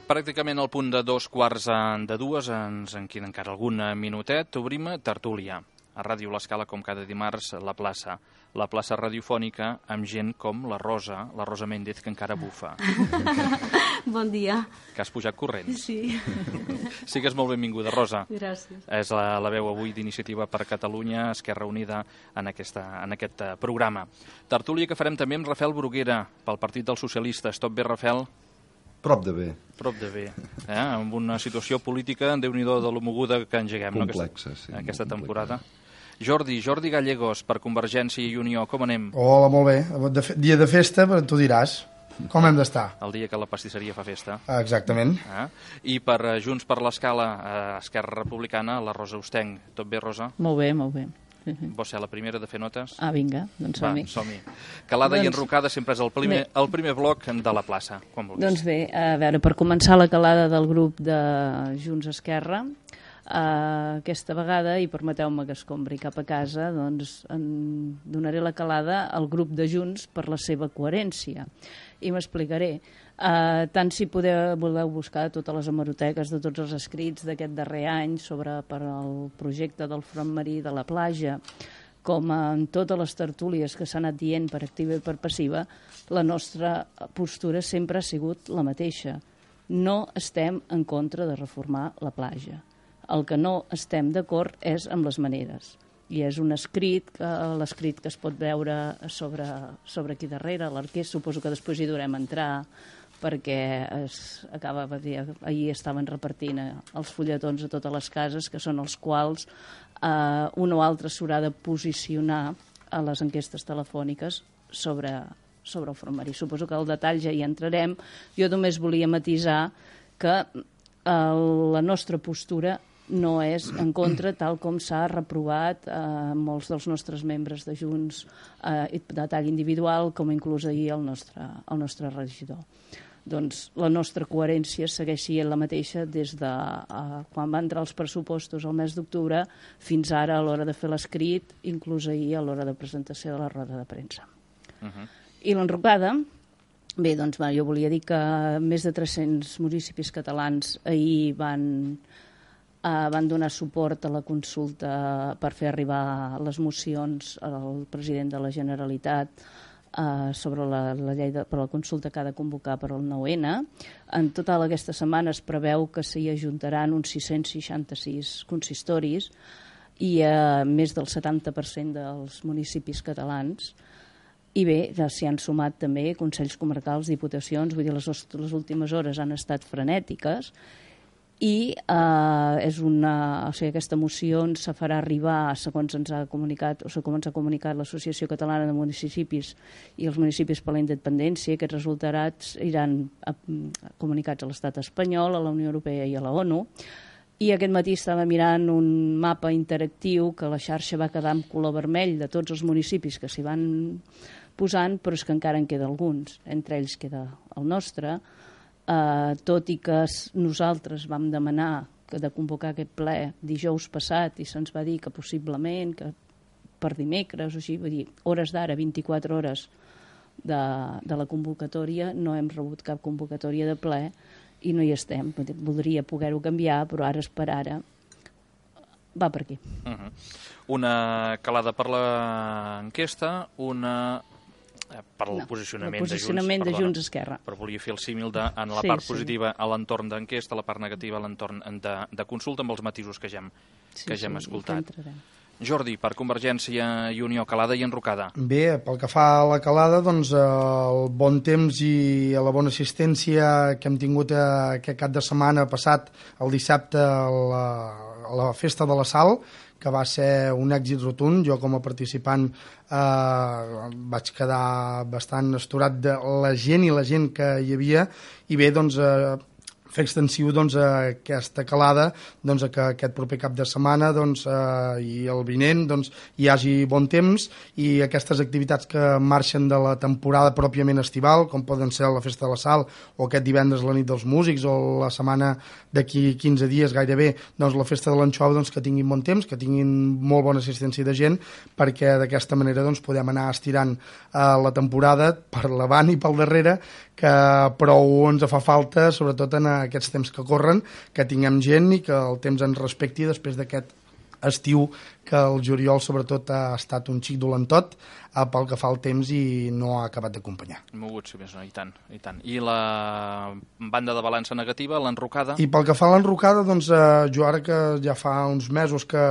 Pràcticament al punt de 2:15, ens en queda encara algun minutet, obrim tertúlia. A Ràdio L'Escala, com cada dimarts, la plaça radiofònica amb gent com la Rosa Méndez, que encara bufa. Bon dia. Que has pujat corrents. Sí. Sigues molt benvinguda, Rosa. Gràcies. És la veu avui d'Iniciativa per Catalunya, Esquerra Unida, en aquest programa. Tertúlia que farem també amb Rafael Bruguera, pel Partit dels Socialistes. Tot bé, Rafael? Prop de bé. Prop de bé. Amb una situació política, Déu-n'hi-do de lo moguda que engeguem. Complexa, sí. Aquesta temporada. Jordi Gallegos, per Convergència i Unió, com anem? Hola, molt bé. Dia de festa, però tu diràs. Com hem d'estar? El dia que la pastisseria fa festa. Exactament. I per Junts per l'Escala, Esquerra Republicana, la Rosa Ostenc. Tot bé, Rosa? Molt bé, molt bé. Vols ser la primera de fer notes? Vinga, doncs som-hi. Va, som-hi. Calada i enrocada sempre és el primer bloc de la plaça. Quan vulguis. Doncs bé, a veure, per començar la calada del grup de Junts Esquerra, aquesta vegada, i permeteu-me que escombri cap a casa, doncs donaré la calada al grup de Junts per la seva coherència. I m'explicaré. Tant si voleu buscar totes les hemeroteques de tots els escrits d'aquest darrer any per al projecte del front marí de la platja, com en totes les tertúlies que s'han anat dient per activa i per passiva, la nostra postura sempre ha sigut la mateixa. No estem en contra de reformar la platja. El que no estem d'acord és amb les maneres. I és un escrit, l'escrit que es pot veure sobre aquí darrere, l'arquer, suposo que després hi durem entrar, perquè ahir estaven repartint els fulletons a totes les cases, que són els quals un o altre s'haurà de posicionar a les enquestes telefòniques sobre el front marí. Suposo que al detall ja hi entrarem. Jo només volia matisar que la nostra postura no és en contra, tal com s'ha reprovat molts dels nostres membres de Junts de tall individual, com inclús ahir el nostre regidor. Doncs la nostra coherència segueix sent la mateixa des de quan van entrar els pressupostos al mes d'octubre fins ara a l'hora de fer l'escrit, inclús ahir a l'hora de presentació de la roda de premsa. I l'enrocada, bé, doncs jo volia dir que més de 300 municipis catalans ahir van donar suport a la consulta per fer arribar les mocions al president de la Generalitat sobre la llei per la consulta que ha de convocar per al 9N. En total aquesta setmana es preveu que s'hi ajuntaran uns 666 consistoris i més del 70% dels municipis catalans. I bé, s'hi han sumat també consells comarcals, diputacions, vull dir, les últimes hores han estat frenètiques, i aquesta moció ens farà arribar, segons ens ha comunicat l'Associació Catalana de Municipis i els municipis per la independència. Aquests resultats iran comunicats a l'Estat espanyol, a la Unió Europea i a la ONU. I aquest matí estava mirant un mapa interactiu que la xarxa va quedar amb color vermell de tots els municipis que s'hi van posant, però és que encara en queda alguns. Entre ells queda el nostre. Tot i que nosaltres vam demanar de convocar aquest ple dijous passat i se'ns va dir que possiblement que per dimecres o així, vull dir, hores d'ara, 24 hores de la convocatòria, no hem rebut cap convocatòria de ple i no hi estem. Voldria poder-ho canviar, però ara és per ara. Va per aquí. Una calada per l'enquesta, una per el posicionament de Junts Esquerra. Però volia fer el símil en la part positiva a l'entorn d'enquesta, la part negativa a l'entorn de consulta, amb els matisos que ja hem escoltat. Jordi, per Convergència i Unió, calada i enrocada. Bé, pel que fa a la calada, doncs el bon temps i la bona assistència que hem tingut aquest cap de setmana passat, el dissabte, a la Festa de la Sal, que va ser un èxit rotund. Jo com a participant vaig quedar bastant astorat de la gent que hi havia, i bé, doncs fer extensiu aquesta calada que aquest proper cap de setmana i el vinent hi hagi bon temps i aquestes activitats que marxen de la temporada pròpiament estival, com poden ser la Festa de la Sal o aquest divendres la nit dels músics o la setmana d'aquí 15 dies gairebé, la Festa de l'Anxova, que tinguin bon temps, que tinguin molt bona assistència de gent, perquè d'aquesta manera podem anar estirant la temporada per l'avant i pel darrere, que prou ens fa falta, sobretot en aquests temps que corren, que tinguem gent i que el temps ens respecti després d'aquest estiu que el juliol sobretot ha estat un xic dolentot pel que fa al temps i no ha acabat d'acompanyar. Mogut, sí, i tant, i tant. I la banda de balança negativa, l'enrocada? I pel que fa a l'enrocada, jo ara que ja fa uns mesos que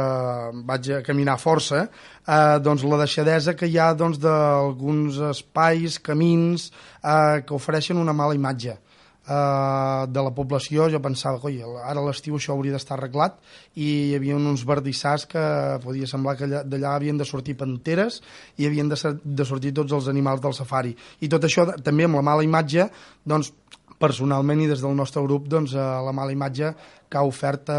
vaig a caminar força, la deixadesa que hi ha d'alguns espais, camins, que ofereixen una mala imatge de la població. Jo pensava que ara a l'estiu això hauria d'estar arreglat i hi havia uns verdissars que podia semblar que d'allà havien de sortir panteres i havien de sortir tots els animals del safari, i tot això també amb la mala imatge, personalment i des del nostre grup, la mala imatge que ha ofert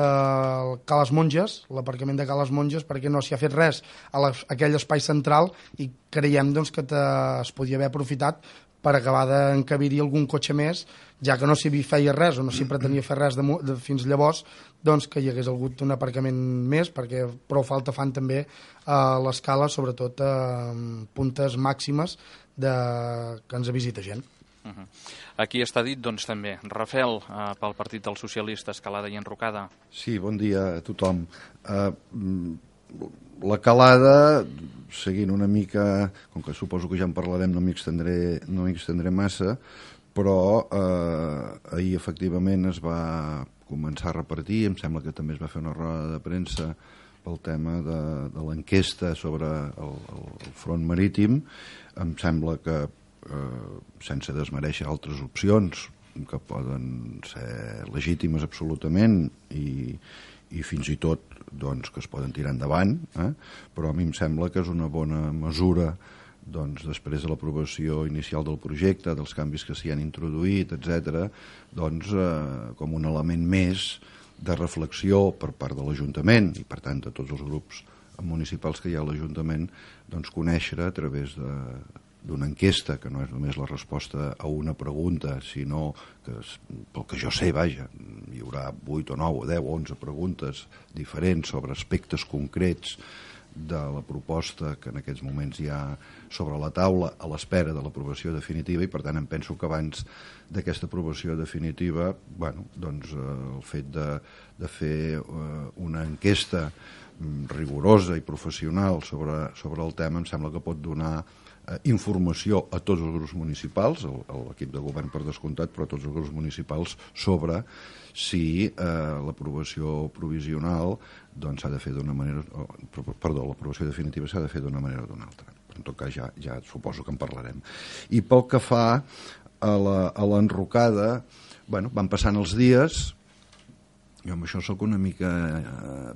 Cales Monges, l'aparcament de Cales Monges, perquè no s'hi ha fet res a aquell espai central i creiem que es podia haver aprofitat per acabar d'encabir-hi algun cotxe més, ja que no s'hi feia res o no s'hi pretenia fer res fins llavors, que hi hagués hagut un aparcament més, perquè prou falta fan també a l'escala, sobretot a puntes màximes que ens visita gent. Aquí està dit, també, Rafel, pel Partit dels Socialistes, Calada i Enrocada. Sí, bon dia a tothom. La calada, seguint una mica, com que suposo que ja en parlarem, no m'hi extendré massa, però ahir efectivament es va començar a repartir, em sembla que també es va fer una roda de premsa pel tema de l'enquesta sobre el front marítim. Em sembla que, sense desmereixer altres opcions que poden ser legítimes absolutament i fins i tot que es poden tirar endavant, però a mi em sembla que és una bona mesura després de l'aprovació inicial del projecte, dels canvis que s'hi han introduït, etc., com un element més de reflexió per part de l'Ajuntament i per tant de tots els grups municipals que hi ha a l'Ajuntament, conèixer a través d'una enquesta, que no és només la resposta a una pregunta, sinó que, pel que jo sé, hi haurà 8 o 9 o 10 o 11 preguntes diferents sobre aspectes concrets de la proposta que en aquests moments hi ha sobre la taula a l'espera de l'aprovació definitiva, i per tant em penso que abans d'aquesta aprovació definitiva, el fet de fer una enquesta rigorosa i professional sobre el tema em sembla que pot donar informació a tots els grups municipals, l'equip de govern per descomptat, però a tots els grups municipals, sobre si l'aprovació provisional s'ha de fer d'una manera, l'aprovació definitiva s'ha de fer d'una manera o d'una altra. En tot cas ja suposo que en parlarem. I pel que fa a l'enrocada, van passant els dies. Jo amb això sóc una mica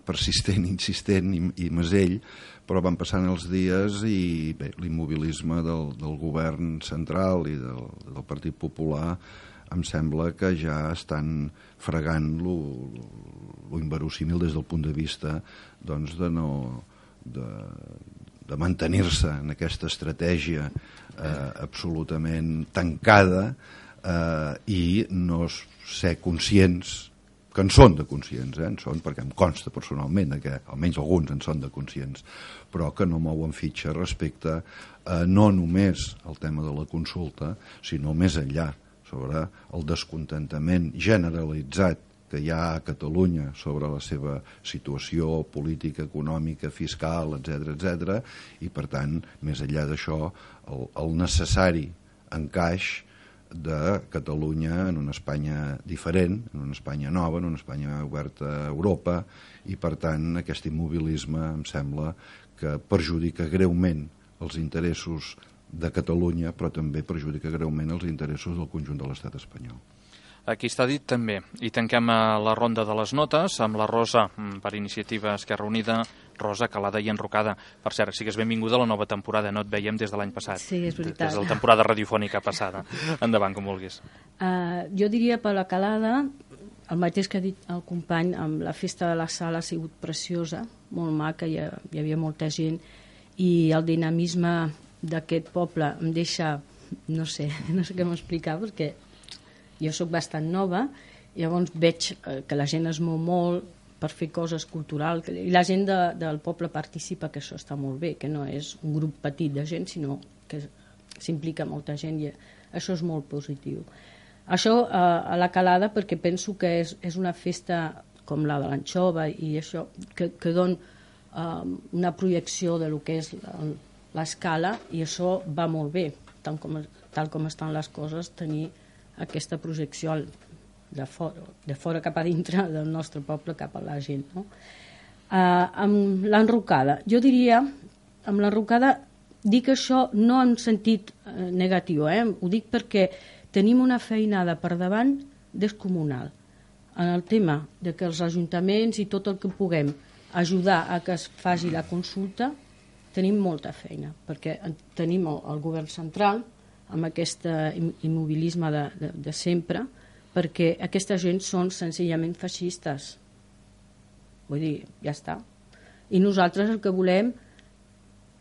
persistent, insistent i mesell, però van passant els dies i bé, l'immobilisme del govern central i del Partit Popular em sembla que ja estan fregant lo inverosímil des del punt de vista de mantenir-se en aquesta estratègia absolutament tancada i no ser conscients, que en són de conscients, en són, perquè em consta personalment que almenys alguns en són de conscients, però que no mouen fitxa respecte a no només al tema de la consulta, sinó més enllà, sobre el descontentament generalitzat que hi ha a Catalunya sobre la seva situació política, econòmica, fiscal, etc., i per tant, més enllà d'això, el necessari encaix de Catalunya en una Espanya diferent, en una Espanya nova, en una Espanya oberta a Europa, i per tant aquest immobilisme em sembla que perjudica greument els interessos de Catalunya, però també perjudica greument els interessos del conjunt de l'estat espanyol. Aquí està dit també. I tanquem la ronda de les notes amb la Rosa, per iniciativa Esquerra Unida, Rosa, Calada i Enrocada. Per cert, sigues benvinguda a la nova temporada, no et veiem des de l'any passat. Sí, és veritat. Des de la temporada radiofònica passada. Endavant, com vulguis. Jo diria per la Calada, el mateix que ha dit el company, amb la festa de la sala ha sigut preciosa, molt maca, hi havia molta gent, i el dinamisme d'aquest poble em deixa, no sé què m'explicar, perquè jo sóc bastant nova, llavors veig que la gent es mou molt per fer coses culturals, i la gent del poble participa, que això està molt bé, que no és un grup petit de gent, sinó que s'implica molta gent, i això és molt positiu. Això a la Calada, perquè penso que és una festa com la de l'anxova i això, que dona una projecció de lo que és l'escala, i això va molt bé, tal com estan les coses, tenir aquesta projecció de fora cap a dintre del nostre poble cap a la gent. No? Amb l'enrocada, jo diria, amb l'enrocada dic això no en sentit negatiu, ho dic perquè tenim una feinada per davant descomunal en el tema de que els ajuntaments i tot el que puguem ajudar a que es faci la consulta, tenim molta feina, perquè tenim el govern central amb aquest immobilisme de sempre, perquè aquesta gent són senzillament feixistes. Vull dir, ja està. I nosaltres el que volem,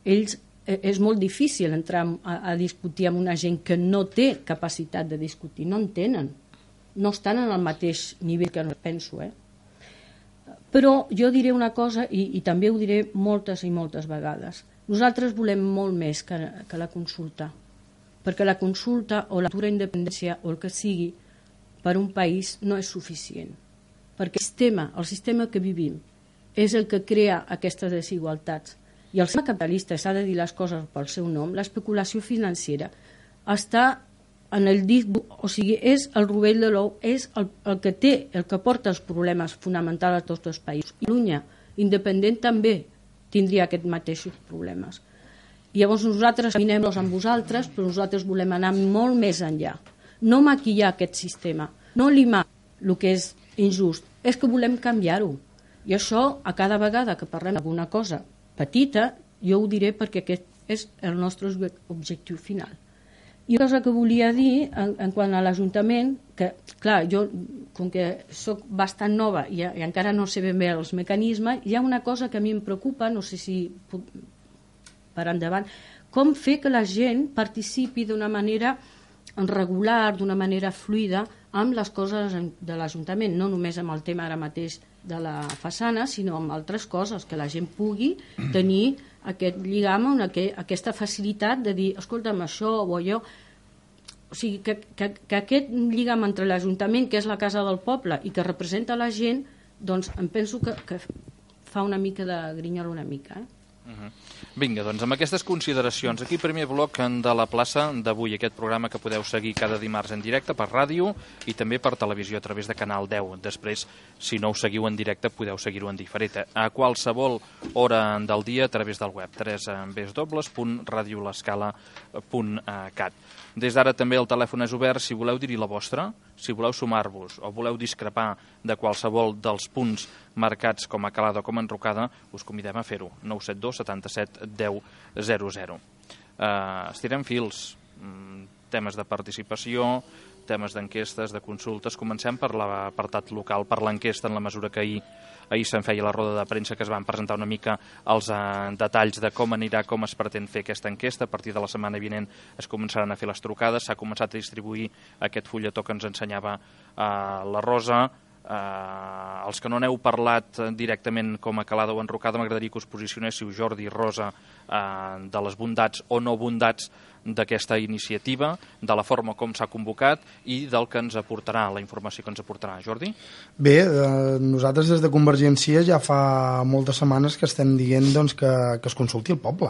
és molt difícil entrar a discutir amb una gent que no té capacitat de discutir, no en tenen, no estan en el mateix nivell que no penso. Però jo diré una cosa, i també ho diré moltes i moltes vegades, nosaltres volem molt més que la consulta, perquè la consulta o la futura independència o el que sigui per un país no és suficient, perquè el sistema que vivim és el que crea aquestes desigualtats. I el sistema capitalista, s'ha de dir les coses pel seu nom, l'especulació financera està en el disc, o sigui, és el rovell de l'ou, és el que porta els problemes fonamentals a tots els països. I Catalunya, independent, també tindria aquests mateixos problemes. I llavors nosaltres caminem-los amb vosaltres, però nosaltres volem anar molt més enllà. No maquillar aquest sistema, no limar el que és injust, és que volem canviar-ho. I això, a cada vegada que parlem d'alguna cosa petita, jo ho diré perquè aquest és el nostre objectiu final. I una cosa que volia dir en quant a l'Ajuntament, que clar, jo com que soc bastant nova i encara no sé ben bé els mecanismes, hi ha una cosa que a mi em preocupa, no sé si puc per endavant, com fer que la gent participi d'una manera regular, d'una manera fluida amb les coses de l'Ajuntament, no només amb el tema ara mateix de la façana, sinó amb altres coses, que la gent pugui tenir aquest lligam, aquesta facilitat de dir, escolta'm, això o allò. O sigui, que aquest lligam entre l'Ajuntament, que és la casa del poble, i que representa la gent, doncs em penso que fa una mica de grinyol una mica. Vinga, doncs amb aquestes consideracions, aquí primer bloc de la plaça d'avui, aquest programa que podeu seguir cada dimarts en directe per ràdio i també per televisió a través de Canal 10. Després, si no us seguiu en directe, podeu seguir-ho en diferit a qualsevol hora del dia a través del web www.radiolescala.cat. Des d'ara també el telèfon és obert si voleu dir-hi la vostra, si voleu sumar-vos o voleu discrepar de qualsevol dels punts marcats com a Calada o com a Enrocada, us convidem a fer-ho. 972 77 10 00. Estirem fils, temes de participació, temes d'enquestes, de consultes. Comencem per l'apartat local, per l'enquesta, en la mesura que ahir se'n feia la roda de premsa, que es van presentar una mica els detalls de com anirà, com es pretén fer aquesta enquesta. A partir de la setmana vinent es començaran a fer les trucades, s'ha començat a distribuir aquest fulletó que ens ensenyava la Rosa. Els que no n'heu parlat directament com a Calada o Enrocada, m'agradaria que us posicionéssiu, Jordi i Rosa, de les bondats o no bondats d'aquesta iniciativa, de la forma com s'ha convocat i del que ens aportarà, la informació que ens aportarà. Jordi? Bé, nosaltres des de Convergència ja fa moltes setmanes que estem dient doncs, que es consulti el poble.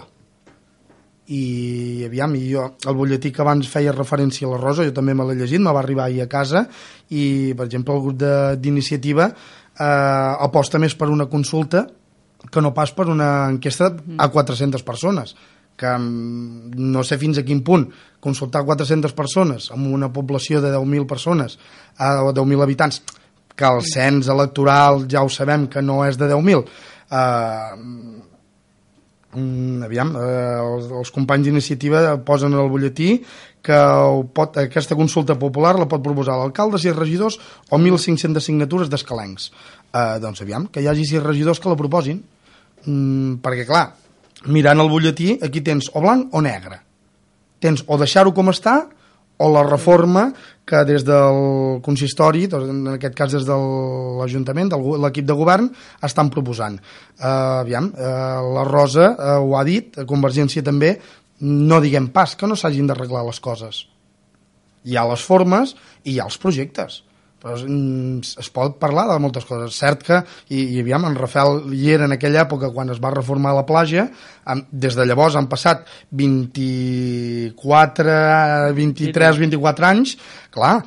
I aviam, el butlletí que abans feia referència a la Rosa, jo també me l'he llegit, me va arribar ahir a casa, i per exemple el grup d'iniciativa aposta més per una consulta que no pas per una enquesta a 400 persones, que no sé fins a quin punt consultar 400 persones amb una població de 10.000 persones o 10.000 habitants, que el cens electoral ja ho sabem que no és de 10.000, els companys d'iniciativa posen al butlletí que aquesta consulta popular la pot proposar l'alcalde, 6 regidors o 1.500 signatures d'escalencs. Doncs que hi hagi 6 regidors que la proposin, perquè clar, mirant el butlletí aquí tens o blanc o negre, tens o deixar-ho com està o la reforma que des del consistori, en aquest cas des de l'Ajuntament, de l'equip de govern, estan proposant. La Rosa ho ha dit, Convergència també, no diguem pas que no s'hagin d'arreglar les coses. Hi ha les formes i hi ha els projectes. Però es pot parlar de moltes coses. Cert que, en Rafael hi era en aquella època quan es va reformar la platja, des de llavors han passat 23, 24 anys, clar,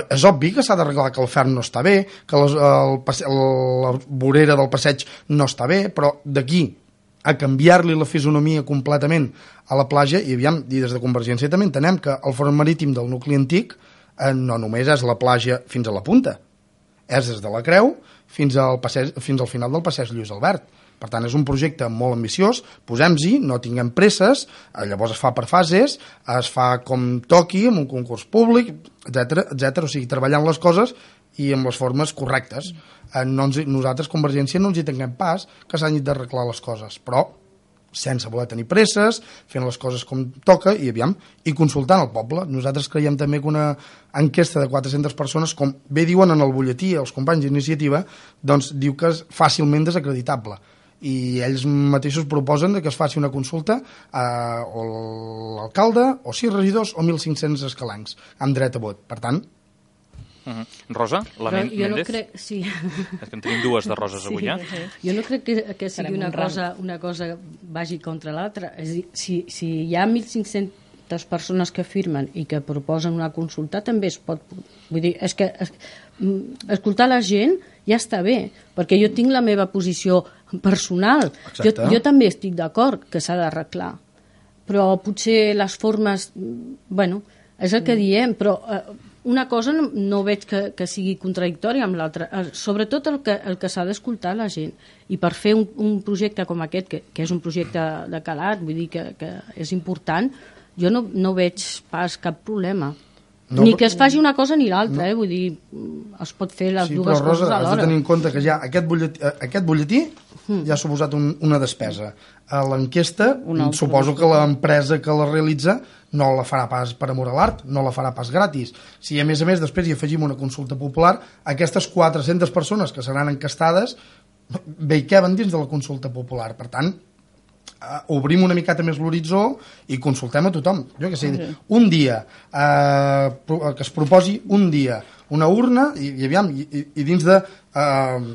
és obvi que s'ha d'arreglar, que el ferm no està bé, que la vorera del passeig no està bé, però d'aquí a canviar-li la fisonomia completament a la platja, i des de Convergència també entenem que el front marítim del nucli antic no només és la platja fins a la punta, és des de la Creu fins al final del passeig Lluís Albert. Per tant, és un projecte molt ambiciós, posem-hi, no tinguem presses, llavors es fa per fases, es fa com toqui, amb un concurs públic, etc. O sigui, treballant les coses i amb les formes correctes. Nosaltres, Convergència, no ens hi tinguem pas que s'han d'arreglar les coses, però sense voler tenir presses, fent les coses com toca i consultant el poble. Nosaltres creiem també que una enquesta de 400 persones, com bé diuen en el butlletí els companys d'iniciativa, doncs diu que és fàcilment desacreditable. I ells mateixos proposen que es faci una consulta o l'alcalde, o 6 regidors, o 1.500 escalencs, amb dret a vot. Per tant... Rosa, la Méndez? No crec, sí. És que en tenim dues de roses avui, Jo no crec que sigui una cosa vagi contra l'altra. És a dir, si hi ha 1.500 persones que firmen i que proposen una consulta, també es pot... Vull dir, és que escoltar la gent ja està bé, perquè jo tinc la meva posició personal. Jo també estic d'acord que s'ha d'arreglar, però potser les formes... Bueno, és el que diem, però... Una cosa no veig que sigui contradictòria amb l'altra, sobretot el que s'ha d'escoltar la gent, i per fer un projecte com aquest, que és un projecte de calat, vull dir que és important, jo no veig pas cap problema. Ni que es faci una cosa ni l'altra, vull dir, es pot fer les dues coses alhora. Has de tenir en compte que ja aquest butlletí ja ha suposat una despesa. L'enquesta, suposo que l'empresa que la realitza no la farà pas per amor a l'art, no la farà pas gratis. Si a més després hi afegim una consulta popular, aquestes 400 persones que seran encastades bé hi caben dins de la consulta popular. Per tant, obrim una miqueta més l'horitzó i consultem a tothom. Jo què sé, un dia, que es proposi un dia una urna i dins de,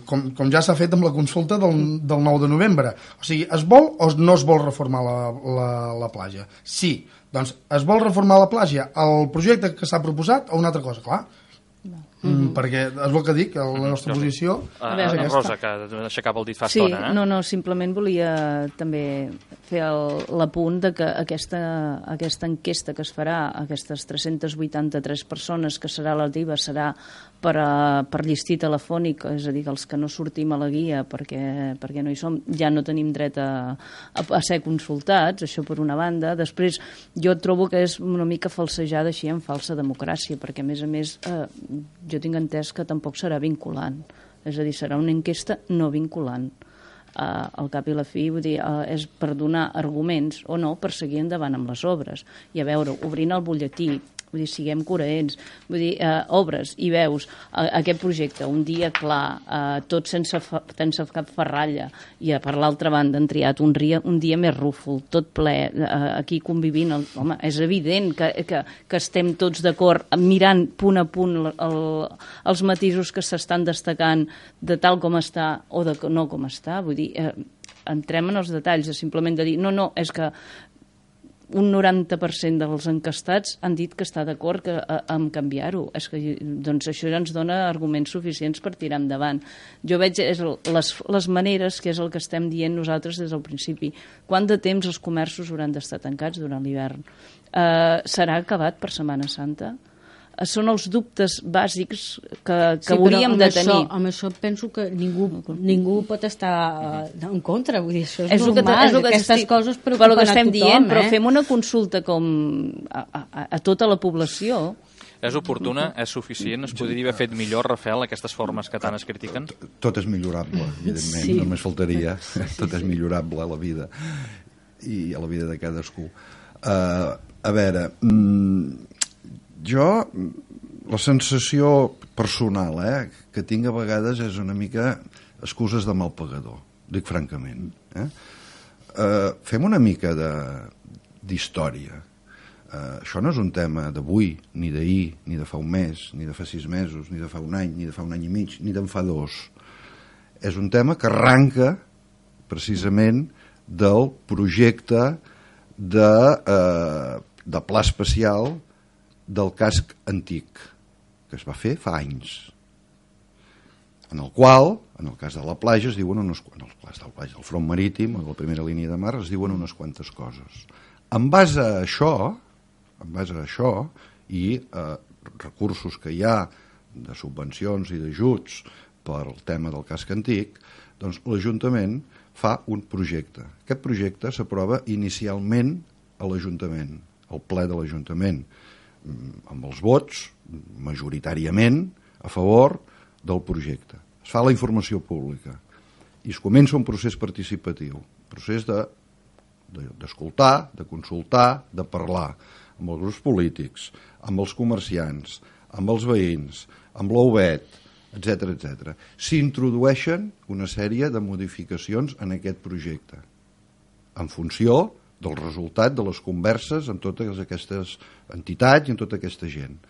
com ja s'ha fet amb la consulta del 9 de novembre. O sigui, es vol o no es vol reformar la platja? Sí, doncs es vol reformar la platja, el projecte que s'ha proposat o una altra cosa, clar. Perquè és el que dic, la nostra posició... Rosa, que aixecava el dit fa estona. No, simplement volia també fer l'apunt de que aquesta enquesta que es farà, aquestes 383 persones que serà la DIVA, serà per llistir telefònic, és a dir, que els que no sortim a la guia perquè no hi som, ja no tenim dret a ser consultats, això per una banda. Després, jo trobo que és una mica falsejada així en falsa democràcia, perquè a més jo tinc entès que tampoc serà vinculant, és a dir, serà una enquesta no vinculant. Al cap i la fi, vull dir, és per donar arguments o no per seguir endavant amb les obres. I a veure, obrint el butlletí, vull dir, siguem coherents, vull dir, obres i veus aquest projecte un dia clar, tot sense cap ferralla, i per l'altra banda han triat un dia més rúfol, tot ple, aquí convivint, home, és evident que estem tots d'acord mirant punt a punt els matisos que s'estan destacant de tal com està o de no com està, vull dir, entrem en els detalls, simplement de dir, no, és que un 90% dels encastats han dit que està d'acord amb canviar-ho. Doncs això ja ens dona arguments suficients per tirar endavant. Jo veig les maneres, que és el que estem dient nosaltres des del principi. Quant de temps els comerços hauran d'estar tancats durant l'hivern? Serà acabat per Setmana Santa? són els dubtes bàsics que hauríem de tenir. Amb això penso que ningú pot estar en contra, vull dir, això és normal, aquestes coses preocupen a tothom. Però el que estem dient, però fem una consulta com a tota la població. És oportuna, és suficient, es podria haver fet millor, Rafael, aquestes formes que tant es critiquen? Tot és millorable, evidentment, sí. Només faltaria. Tot és millorable a la vida i a la vida de cadascú. A veure, jo la sensació personal que tinc a vegades és una mica excuses de mal pagador, dic francament. Fem una mica d'història. Això no és un tema d'avui, ni d'ahir, ni de fa un mes, ni de fa 6 mesos, ni de fa un any, ni de fa un any i mig, ni d'en fa 2. És un tema que arranca precisament del projecte de pla especial del casc antic, que es va fer fa anys, en el qual, en el cas de la platja, es diuen en el cas del platja, del front marítim, o de la primera línia de mar, es diuen unes quantes coses. En base a això i recursos que hi ha de subvencions i d'ajuts per al tema del casc antic, doncs l'Ajuntament fa un projecte. Aquest projecte s'aprova inicialment a l'Ajuntament, al ple de l'Ajuntament, amb els vots majoritàriament a favor del projecte. Es fa la informació pública i es comença un procés participatiu, procés d'escoltar, de consultar, de parlar amb els grups polítics, amb els comerciants, amb els veïns, amb l'OUBET, etc. S'introdueixen una sèrie de modificacions en aquest projecte, en funció del resultat de les converses amb totes aquestes entitats i amb tota aquesta gent.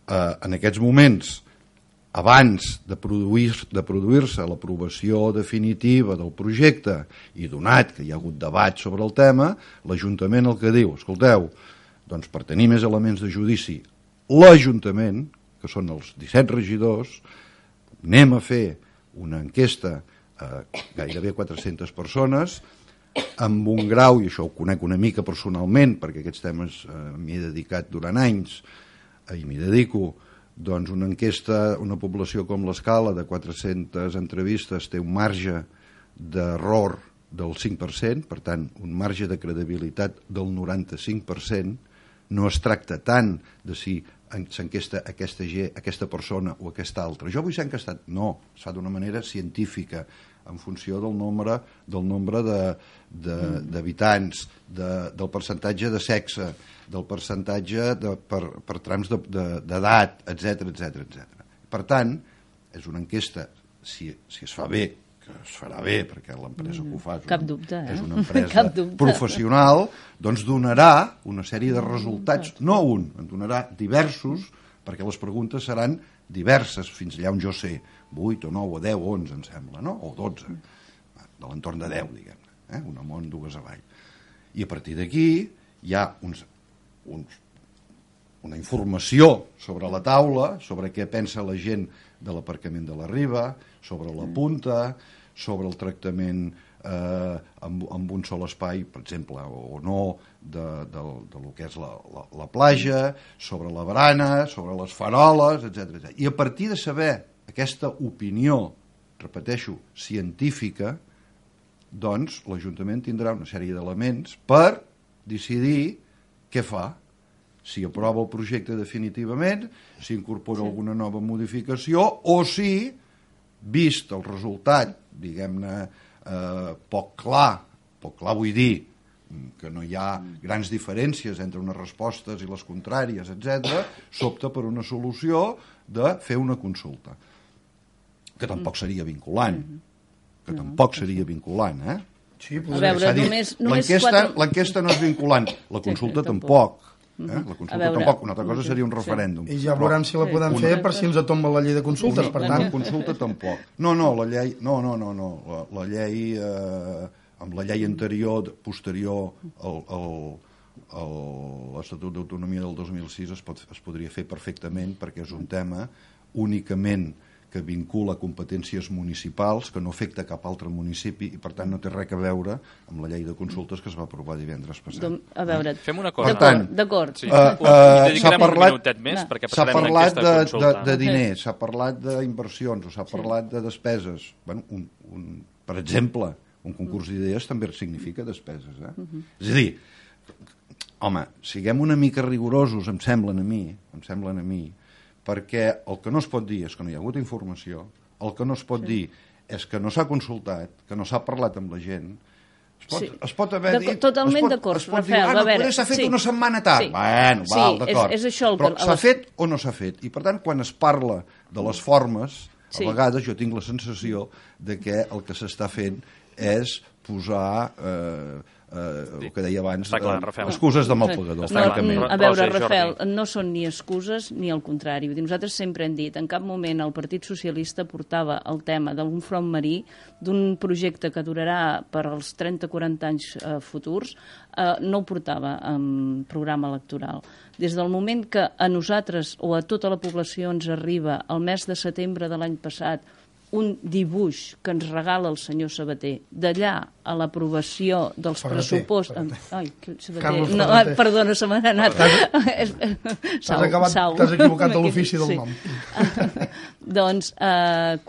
En aquests moments, abans de produir-se l'aprovació definitiva del projecte i donat que hi ha hagut debat sobre el tema, l'Ajuntament el que diu, escolteu, doncs per tenir més elements de judici, l'Ajuntament, que són els 17 regidors, anem a fer una enquesta a gairebé 400 persones, amb un grau, i això ho conec una mica personalment, perquè aquests temes m'hi he dedicat durant anys, i m'hi dedico, doncs una enquesta, una població com l'Escala, de 400 entrevistes, té un marge d'error del 5%, per tant, un marge de credibilitat del 95%, no es tracta tant de si s'enquesta aquesta persona o aquesta altra. Jo vull ser enquestat. No, es fa d'una manera científica, en funció del nombre d'habitants, del percentatge de sexe, del percentatge per trams d'edat, etc. Per tant, és una enquesta, si es fa bé, que es farà bé, perquè l'empresa que ho fa és una empresa professional, doncs donarà una sèrie de resultats, no un, en donarà diversos, perquè les preguntes seran diverses, fins allà on jo sé, 8 o 9 o 10 o 11, em sembla, no? O 12, de l'entorn de 10, diguem-ne, un amunt, 2 avall. I a partir d'aquí hi ha una informació sobre la taula, sobre què pensa la gent de l'aparcament de la Riba, sobre la punta, sobre el tractament amb un sol espai, per exemple, o no, del que és la platja, sobre la barana, sobre les faroles, etc. I a partir de saber aquesta opinió, repeteixo, científica, doncs l'Ajuntament tindrà una sèrie d'elements per decidir què fa, si aprova el projecte definitivament, si incorpora alguna nova modificació, o si, vist el resultat, diguem-ne, poc clar vull dir, que no hi ha grans diferències entre unes respostes i les contràries, etc., s'opta per una solució de fer una consulta, que tampoc seria vinculant, Sí, a veure, l'enquesta no és vinculant, la consulta tampoc. La consulta tampoc, una altra cosa seria un referèndum. I ja veurem si la podem fer per si ens tomba la llei de consultes, per tant. La consulta tampoc. No, la llei, la llei, amb la llei anterior, posterior a l'Estatut d'Autonomia del 2006 es podria fer perfectament, perquè és un tema únicament que vincula competències municipals, que no afecta cap altre municipi i per tant no té res a veure amb la llei de consultes que es va aprovar divendres passat. A veure, fem una cosa. D'acord. Sí. Dedicarem un minutet més perquè s'ha passarem parlat aquesta consulta. de diners, s'ha parlat d'inversions o s'ha parlat de despeses. Bueno, per exemple, un concurs d'idees també significa despeses. És a dir, home, siguem una mica rigorosos, em semblen a mi, perquè el que no es pot dir és que no hi ha hagut informació, el que no es pot dir és que no s'ha consultat, que no s'ha parlat amb la gent. Es pot haver dit... Totalment d'acord, Rafael. Potser s'ha fet una setmana tard. Bueno, val, d'acord. Però s'ha fet o no s'ha fet? I per tant, quan es parla de les formes, a vegades jo tinc la sensació de que el que s'està fent és posar... el que deia abans, excuses de mal pagador. A veure, Rafael, no són ni excuses ni el contrari. Nosaltres sempre hem dit, en cap moment el Partit Socialista portava el tema d'un front marí, d'un projecte que durarà per als 30-40 anys futurs, no ho portava en programa electoral. Des del moment que a nosaltres o a tota la població ens arriba el mes de setembre de l'any passat un dibuix que ens regala el senyor Sabater, d'allà a l'aprovació dels pressupostos... Ai, Sabater... No, perdona, se m'ha anat. T'has equivocat de l'ofici del nom. Doncs,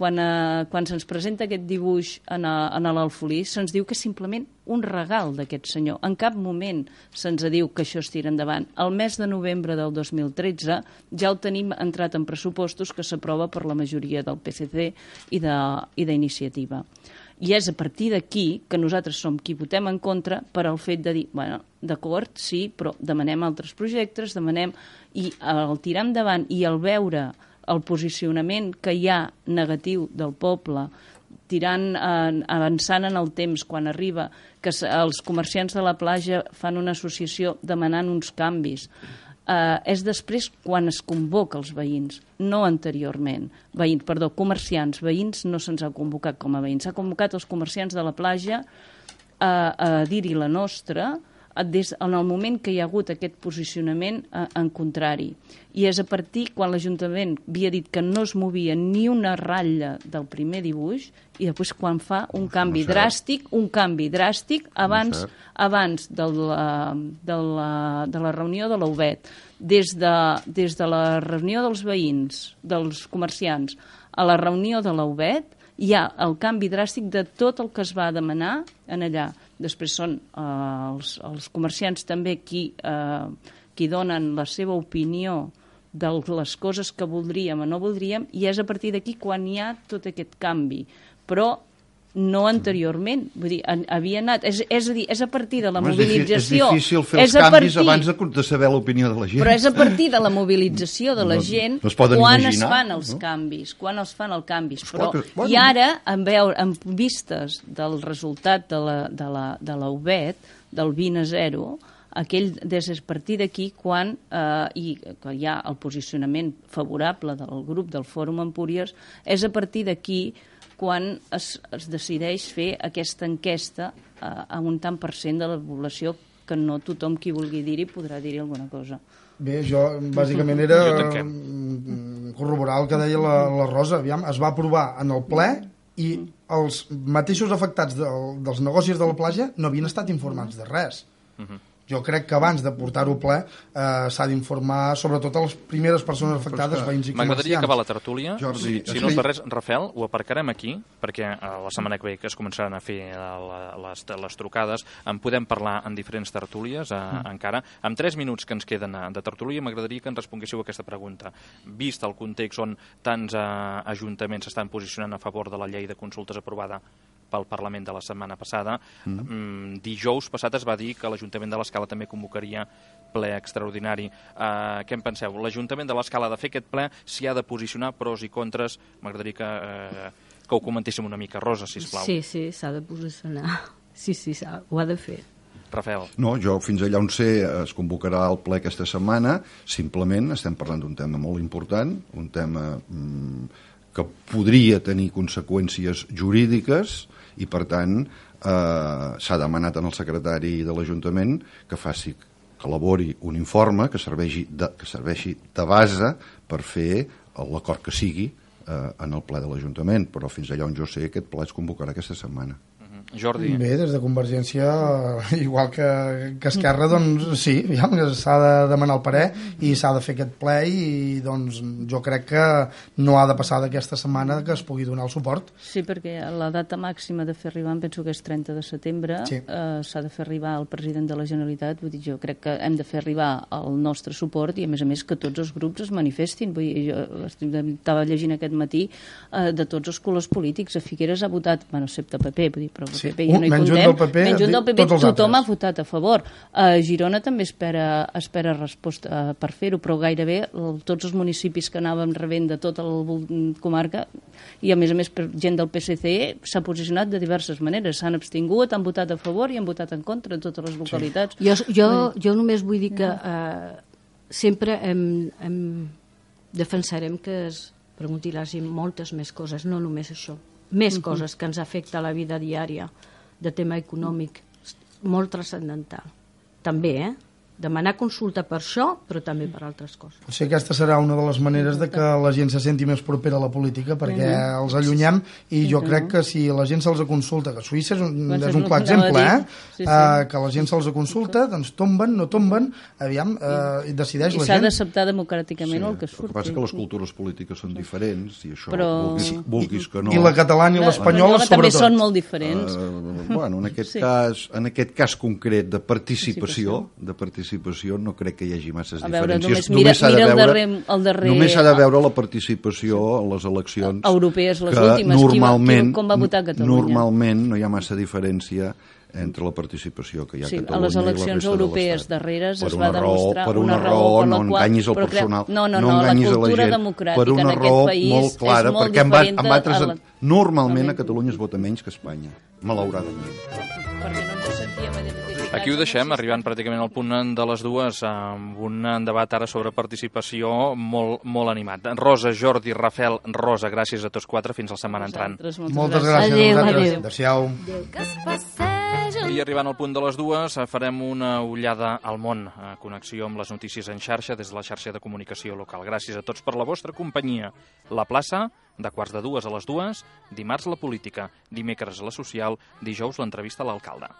quan se'ns presenta aquest dibuix en l'Alfolí, se'ns diu que és simplement un regal d'aquest senyor. En cap moment se'ns diu que això es tira endavant. El mes de novembre del 2013 ja ho tenim entrat en pressupostos que s'aprova per la majoria del PSC i d'Iniciativa. I és a partir d'aquí que nosaltres som qui votem en contra per al fet de dir, bueno, d'acord, sí, però demanem altres projectes, demanem... I el tirar endavant i el veure el posicionament que hi ha negatiu del poble, avançant en el temps, quan arriba que els comerciants de la platja fan una associació demanant uns canvis, és després quan es convoca els veïns, no anteriorment. Comerciants, veïns no se'ns ha convocat com a veïns, s'ha convocat els comerciants de la platja a dir-hi la nostra en el moment que hi ha hagut aquest posicionament en contrari. I és a partir quan l'Ajuntament havia dit que no es movia ni una ratlla del primer dibuix i després quan fa un canvi dràstic abans de la reunió de l'UBET, des de la reunió dels veïns, dels comerciants, a la reunió de l'UBET, hi ha el canvi dràstic de tot el que es va demanar en allà. Després són els comerciants també qui donen la seva opinió de les coses que voldríem o no voldríem, i és a partir d'aquí quan hi ha tot aquest canvi. Però no anteriorment, vull dir, havia anat... És a dir, és a partir de la mobilització... És difícil fer els canvis abans de saber l'opinió de la gent. Però és a partir de la mobilització de la gent quan es fan els canvis, quan es fan els canvis. I ara, en vistes del resultat de la UBET, del 20-0, és a partir d'aquí quan hi ha el posicionament favorable del grup del Fòrum Empúries, és a partir d'aquí quan es decideix fer aquesta enquesta a un tant per cent de la població, que no tothom qui vulgui dir-hi podrà dir-hi alguna cosa. Bé, jo bàsicament era corroborar el que deia la Rosa. Aviam, es va aprovar en el ple i els mateixos afectats dels negocis de la platja no havien estat informats de res. Jo crec que abans de portar-ho ple s'ha d'informar sobretot a les primeres persones afectades, veïns i comerciants. M'agradaria acabar la tertúlia. Jordi, si no és per res, Rafael, ho aparcarem aquí, perquè la setmana que ve que es començaran a fer les trucades, en podem parlar en diferents tertúlies encara. En 3 minuts que ens queden de tertúlia, m'agradaria que ens responguéssiu a aquesta pregunta. Vist el context on tants ajuntaments s'estan posicionant a favor de la llei de consultes aprovada pel Parlament de la setmana passada, dijous passat es va dir que l'Ajuntament de l'Escala també convocaria ple extraordinari. Què en penseu? L'Ajuntament de l'Escala ha de fer aquest ple, s'hi ha de posicionar pros i contres. M'agradaria que ho comentéssim una mica. Rosa, sisplau. Sí, s'ha de posicionar. Sí, ho ha de fer. Rafael. No, jo fins allà on sé es convocarà el ple aquesta setmana. Simplement estem parlant d'un tema molt important, un tema que podria tenir conseqüències jurídiques i, per tant, s'ha demanat al secretari de l'Ajuntament que elabori un informe que serveixi de base per fer l'acord que sigui en el ple de l'Ajuntament, però fins allà on jo sé aquest ple es convocarà aquesta setmana. Jordi. Bé, des de Convergència, igual que Esquerra, doncs sí, s'ha de demanar el parer i s'ha de fer aquest ple i doncs jo crec que no ha de passar d'aquesta setmana que es pugui donar el suport. Sí, perquè la data màxima de fer arribar, em penso que és 30 de setembre, sí. S'ha de fer arribar al president de la Generalitat, vull dir, jo crec que hem de fer arribar el nostre suport i a més que tots els grups es manifestin, vull dir, jo estava llegint aquest matí de tots els colors polítics, a Figueres ha votat, bueno, excepte PP, vull dir, però sí. PP ja no hi comptem, menys un del PP tothom ha votat a favor. A Girona també espera resposta per fer-ho, però gairebé tots els municipis que anàvem rebent de tota la comarca i a més gent del PSC s'ha posicionat de diverses maneres, s'han abstingut, han votat a favor i han votat en contra en totes les localitats. Sí. Jo només vull dir que sempre defensarem que es pregunti la gent moltes més coses, no només això, més coses que ens afecta a la vida diària de tema econòmic, molt transcendental. També, demanar consulta per això, però també per altres coses. Potser aquesta serà una de les maneres de que la gent se senti més propera a la política, perquè els allunyem, i jo crec que si la gent se'ls consulta, que Suïssa és un clar exemple, que la gent se'ls consulta, doncs tomben, no tomben, aviam, decideix la gent. I s'ha d'acceptar democràticament el que surt. El que passa és que les cultures polítiques són diferents, i això, vulguis que no... I la catalana i l'espanyola, sobretot. També són molt diferents. Bueno, en aquest cas concret de participació, no crec que hi hagi masses diferències. Només s'ha de veure la participació en les eleccions europees, les últimes, com va votar Catalunya. Normalment no hi ha massa diferència entre la participació que hi ha a Catalunya i la resta de l'Estat. A les eleccions europees darreres es va demostrar una raó, no enganyis el personal, no enganyis a la gent, per una raó molt clara, perquè en altres... Normalment a Catalunya es vota menys que a Espanya, malauradament. Perquè no ens sentíem identificats. Aquí ho deixem, arribant pràcticament al punt de les dues, amb un debat ara sobre participació molt animat. Rosa, Jordi, Rafel, Rosa, gràcies a tots quatre, fins la setmana entrant. Moltes gràcies a vosaltres. Adéu. I arribant al punt de les dues, farem una ullada al món, a connexió amb les notícies en xarxa des de la xarxa de comunicació local. Gràcies a tots per la vostra companyia. La plaça, de 1:45 a les 2, dimarts la política, dimecres la social, dijous l'entrevista a l'alcalde.